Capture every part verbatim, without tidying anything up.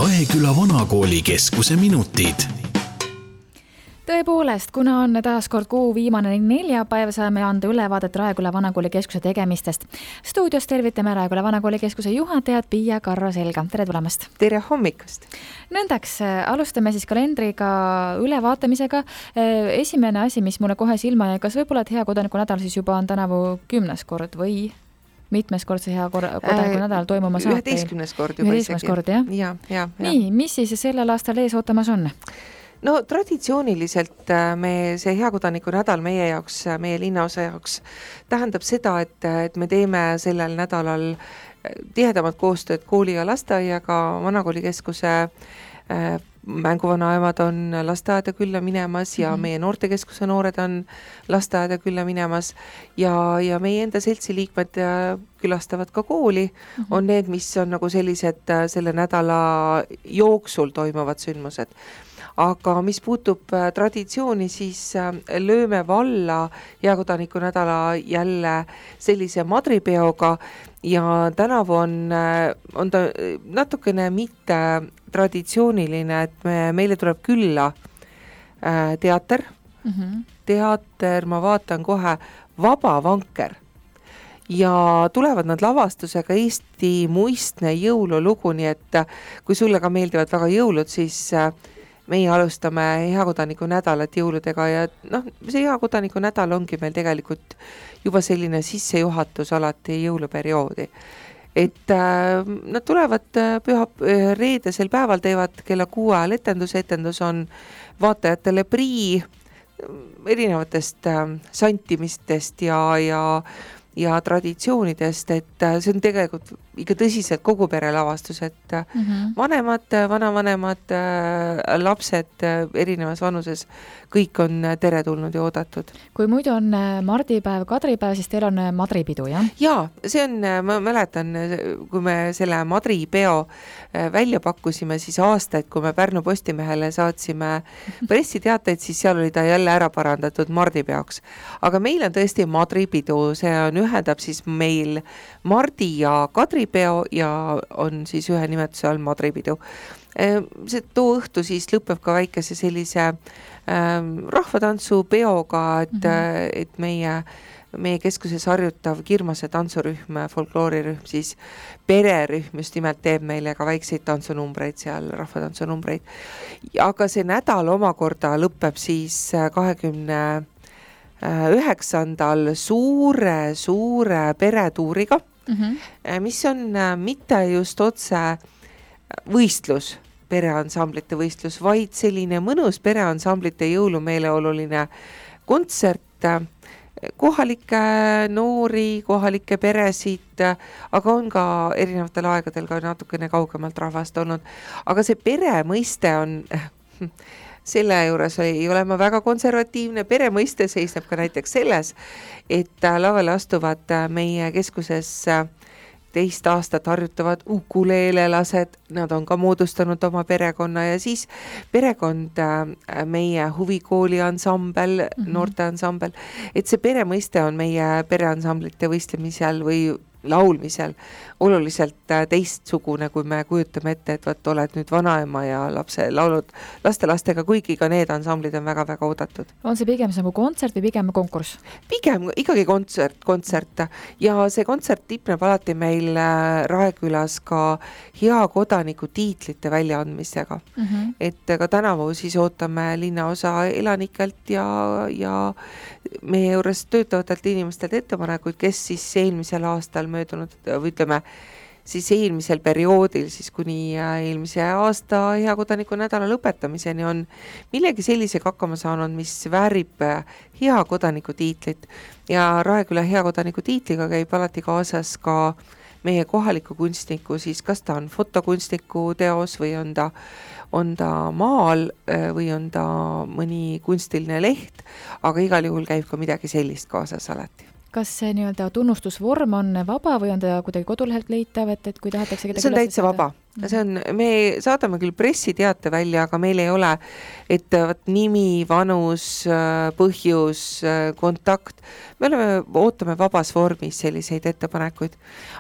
Raeküla Vanakooli keskuse minutid. Tõepoolest, kuna on taas kord kuu viimane neljapäev, saame anda ülevaadet Raeküla Vanakooli keskuse tegemistest. Stuudios tervitame Raeküla Vanakooli keskuse juhatajat Pia Karro Selga. Tere tulemast! Tere hommikust! Nõndaks, alustame siis kalendriga ülevaatamisega. Esimene asi, mis mulle kohe silma jäi, kas võib-olla, et hea kodaniku nädal siis juba on tänavu kümnes kord või mitmes kord see hea kodaniku nädal toimuma saab? Üheteistkümnes kord juba isegi. Kord, jah? Ja, ja, ja. Nii, mis siis sellel aastal ees ootamas on? No traditsiooniliselt me see hea kodaniku nädal meie jaoks, meie linnaosa jaoks tähendab seda, et, et me teeme sellel nädalal tihedamat koostööd kooli ja lasteaiaga. Vanakooli keskuse mänguvanaemad on lasteaeda külla minemas ja mm-hmm. meie noortekeskuse noored on lasteaeda külla minemas ja, ja meie enda seltsi liikmed külastavad ka kooli, mm-hmm. on need, mis on nagu sellised selle nädala jooksul toimuvad sündmused. Aga mis puutub traditsiooni, siis lööme valla hea kodaniku nädala jälle sellise madripeoga ja tänavu on, on ta natukene mitte traditsiooniline, et me, meile tuleb külla teater, mm-hmm. teater, ma vaatan kohe, Vaba vanker. Ja tulevad nad lavastusega Eesti muistne jõululugu, nii et kui sulle ka meeldivad väga jõulud, siis meie alustame hea kodaniku nädalat jõuludega ja noh, see hea kodaniku nädal ongi meil tegelikult juba selline sissejuhatus alati jõuluperioodi. Et äh, nad tulevad püha reedesel päeval, teevad kella kuue ajal etendus, etendus on vaatajatele prii erinevatest äh, santimistest ja, ja ja traditsioonidest, et see on tegelikult ikka tõsiselt kogu pere lavastus, et mm-hmm. vanemad, vanavanemad, lapsed erinevas vanuses, kõik on teretulnud ja oodatud. Kui muidu on mardipäev, kadripäev, siis teil on madripidu, jah? Jaa, see on, ma mäletan, kui me selle madripeo välja pakkusime, siis aastaid, kui me Pärnu Postimehele saatsime pressiteateid, siis seal oli ta jälle ära parandatud mardipeoks. Aga meil on tõesti madripidu, see on ühendab siis meil mardi ja kadripeo ja on siis ühe nimetuse all madripidu. See too õhtu siis lõpeb ka väikese sellise ähm, rahvatantsu peoga, et, mm-hmm. et meie, meie keskuses harjutav Kirmase tantsurühm, folkloorirühm, siis pererühm just nimelt teeb meile ka väikseid tantsunumbreid seal, rahvatantsunumbreid. Aga see nädal omakorda lõpeb siis kahekümne üheksandal suure, suure peretuuriga, mm-hmm. mis on mitte just otse võistlus, pereansamblite võistlus, vaid selline mõnus pereansamblite jõulumeeleoluline kontsert, kohalikke noori, kohalikke peresid, aga on ka erinevatel aegadel ka natukene kaugemalt rahvast olnud. Aga see pere mõiste on... Selle juures ei ole ma väga konservatiivne, pere mõiste seisneb ka näiteks selles, et lavale astuvad meie keskuses teist aastat harjutavad ukuleelelased, nad on ka moodustanud oma perekonna ja siis perekond, meie huvikooli ansambel, mm-hmm. noorte ansambel, et see pere mõiste on meie pereansamblite võistlemisel või laulmisel oluliselt teistsugune, kui me kujutame ette, et võt, oled nüüd vanaema ja lapse laulud laste-lastega, kuigi ka need ansamblid on väga-väga oodatud. On see pigem nagu kontsert või pigem konkurss? Pigem ikkagi kontsert, kontsert ja see kontsert tipneb alati meil Raekülas ka hea kodaniku tiitlite väljaandmisega. Mm-hmm. Et ka tänavu siis ootame linnaosa elanikelt ja, ja meie juures töötavatelt inimestelt ettepanekuid, kes siis eelmisel aastal möödunud, või ütleme, siis eelmisel perioodil, siis kuni eelmise aasta hea kodaniku nädala lõpetamiseni on millegi sellisega hakkama saanud, mis väärib hea kodaniku tiitlit. Ja Raeküla hea kodaniku tiitliga käib alati kaasas ka meie kohaliku kunstniku, siis kas ta on fotokunstniku teos või on ta, on ta maal või on ta mõni kunstiline leht, aga igal juhul käib ka midagi sellist kaasas alati. Kas see nii-öelda tunnustusvorm on vaba või on ta kuidagi kodulehelt leitav, et, et kui tahetakse see on täitsa vaba, see on, me saadame küll pressiteate välja, aga meil ei ole, et võt, nimi, vanus, põhjus, kontakt. Me oleme, ootame vabas vormis selliseid ettepanekuid.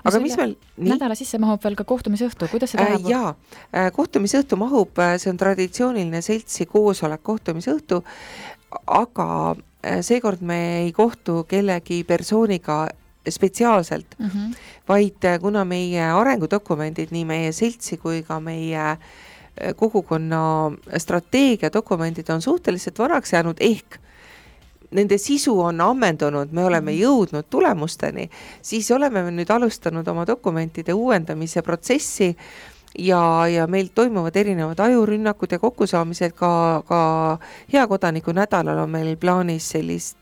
Aga mis meil... Nii? Nädala sisse mahub veel ka kohtumisõhtu. Kuidas see läheb? Äh, jaa, kohtumisõhtu mahub, see on traditsiooniline seltsi koosolek kohtumisõhtu, aga seekord me ei kohtu kellegi persooniga spetsiaalselt, mm -hmm. vaid kuna meie arengudokumendid, nii meie seltsi kui ka meie kogukonna strateegiadokumendid on suhteliselt vanaks jäänud, ehk nende sisu on ammendunud, me oleme jõudnud tulemusteni, siis oleme me nüüd alustanud oma dokumentide uuendamise protsessi ja, ja meil toimuvad erinevad ajurünnakud ja kokkusaamised, ka, ka hea kodaniku nädalal on meil plaanis sellist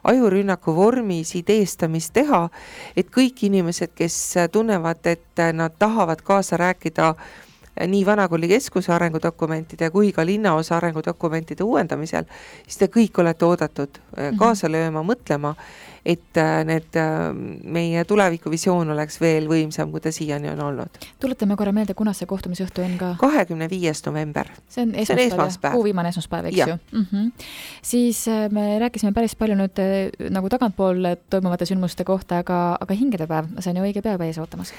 ajurünnaku vormis ideestamist teha, et kõik inimesed, kes tunnevad, et nad tahavad kaasa rääkida nii Vanakooli keskuse arengudokumentide kui ka linnaosa arengudokumentide uuendamisel, siis te kõik olete oodatud kaasa lööma, mõtlema, et need meie tulevikuvisioon oleks veel võimsam, kui ta siiani on olnud. Tuletame korra meelde, kuna see kohtumisõhtu on ka? kahekümne viies november. See on esmaspäev, see on esmaspäev. Kuu viimane esmaspäev, eks ja. ju? Mm-hmm. Siis me rääkisime päris palju nüüd nagu tagantpool toimuvate sündmuste kohta, aga, aga hingedepäev, see on ju õige päeva ees ootamas.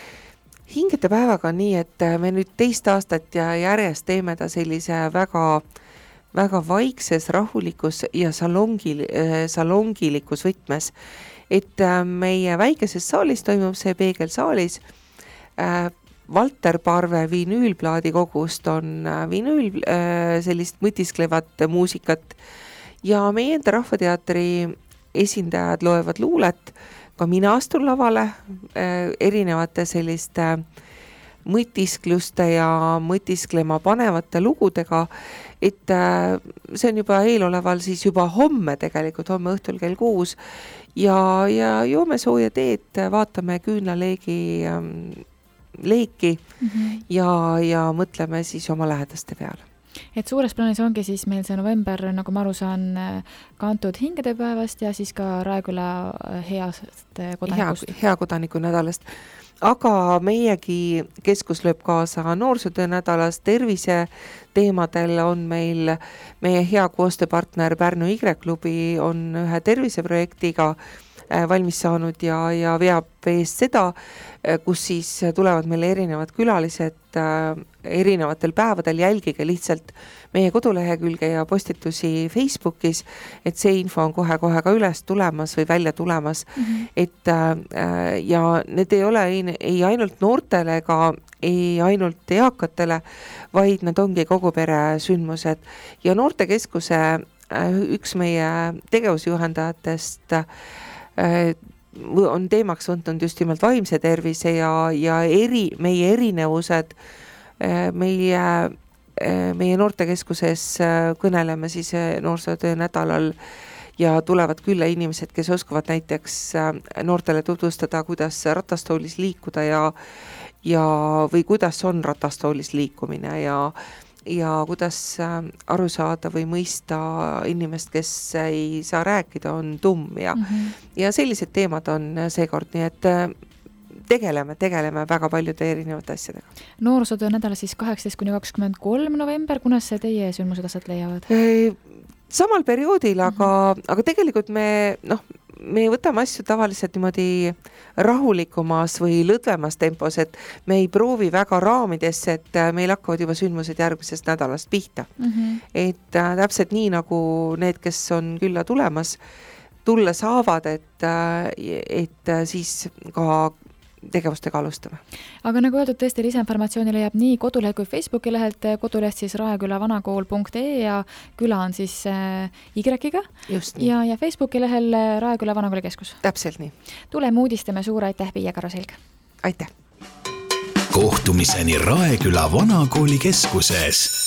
Hingede päevaga on nii, et me nüüd teist aastat ja järjest teeme ta sellise väga, väga vaikses, rahulikus ja salongil, salongilikus võtmes. Et meie väikeses saalis toimub see Peegelsaalis. Valter Parve vinüülplaadi kogust on vinüül sellist mõtisklevat muusikat ja meie enda Rahvateatri esindajad loevad luulet. Ka mina astun lavale erinevate selliste mõtiskluste ja mõtisklema panevate lugudega, et see on juba eeloleval siis juba homme tegelikult, homme õhtul kell kuus ja, ja joome sooja teed, vaatame küünlaleegi leeki mm-hmm. ja, ja mõtleme siis oma lähedaste peale. Et suures plaanis ongi siis meil see november, nagu ma aru saan, kantud hingedepäevast ja siis ka Raeküla heast kodanikust. Hea, hea kodaniku nädalast. Aga meiegi keskus lööb kaasa noorsootöö nädalast, tervise teemadel on meil meie hea koostööpartner Pärnu Y-klubi on ühe terviseprojektiga valmis saanud ja, ja veab eest seda, kus siis tulevad meile erinevad külalised erinevatel päevadel, jälgige lihtsalt meie kodulehekülge ja postitusi Facebookis, et see info on kohe-kohe ka üles tulemas või välja tulemas, mm-hmm. et ja need ei ole ei, ei ainult noortele ega ei ainult eakatele, vaid nad ongi kogu pere sündmused ja noortekeskuse üks meie tegevusjuhendajatest on teemaks võtnud just nimelt vaimse tervise ja, ja eri, meie erinevused meie, meie noortekeskuses kõneleme siis noorsootöö nädalal ja tulevad külla inimesed, kes oskavad näiteks noortele tutvustada, kuidas ratastoolis liikuda ja, ja või kuidas on ratastoolis liikumine ja ja kuidas aru saada või mõista inimest, kes ei saa rääkida, on tumm ja, mm-hmm. ja sellised teemad on seekord, nii et tegeleme, tegeleme väga paljude erinevate asjadega. Noorsootöö nädala siis kaheksateist kuni kakskümmend kolm november, kunas see teie sündmused asjad leiavad? Samal perioodil, aga, mm-hmm. aga tegelikult me, noh, me võtame asju tavaliselt niimoodi rahulikumas või lõdvemas tempos, et me ei proovi väga raamidesse, et meil hakkavad juba sündmused järgmisest nädalast pihta. Mm-hmm. Et äh, täpselt nii nagu need, kes on külla tulemas, tulla saavad, et, et siis ka tegevustega alustame. Aga nagu öeldud, tõesti lisainformatsiooni leiab nii kodulehel kui Facebooki lehelt, koduleht siis raekülavanakool punkt ee ja küla on siis Y-ga ja, ja Facebooki lehel Raeküla Vanakooli keskus. Täpselt nii. Tuleme uudistame, suur aitäh, Piia Karoselg. Aitäh. Kohtumiseni Raeküla Vanakooli keskuses.